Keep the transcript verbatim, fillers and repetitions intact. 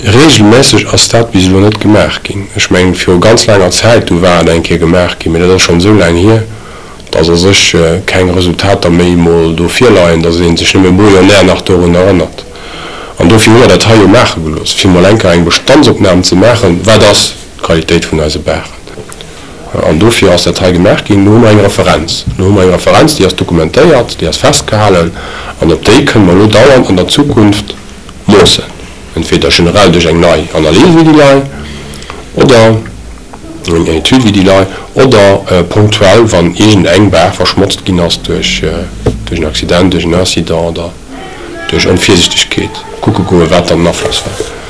Reegelméisseg ass dat bis elo net gemaach ginn. Ech mengen, viru ganz laanger Zäit, do war et eng Kéier gemaach ginn, mee dat ass schonn esou laang hier, dass a sech keng Resultater méi emol do virleien, dass ee sech nëmme brouillonnaire nach dorun erënnert. An dofir hu mer dat hei jo maache gelooss, fir emol eng Kéier eng Bestandsopnam ze maachen, Wat ass d'Qualitéit vun eise Baachen? An dofir ass dat hei gemaach ginn. Elo hu mer eng Referenz. Elo hu mer eng Referenz, déi ass dokumentéiert, déi ass festgehalen an op déi kënne mer elo dauernd an der Zukunft moossen, entweder generell duerch eng nei Analys wéi déi lei oder eng Etüd wéi déi lei oder punktuell, wann iergend eng Baach verschmotzt ginn ass duerch en Accident, duerch en Incident oder duerch Onvirsichtegkeet, kucke goen, wat dann den Afloss war.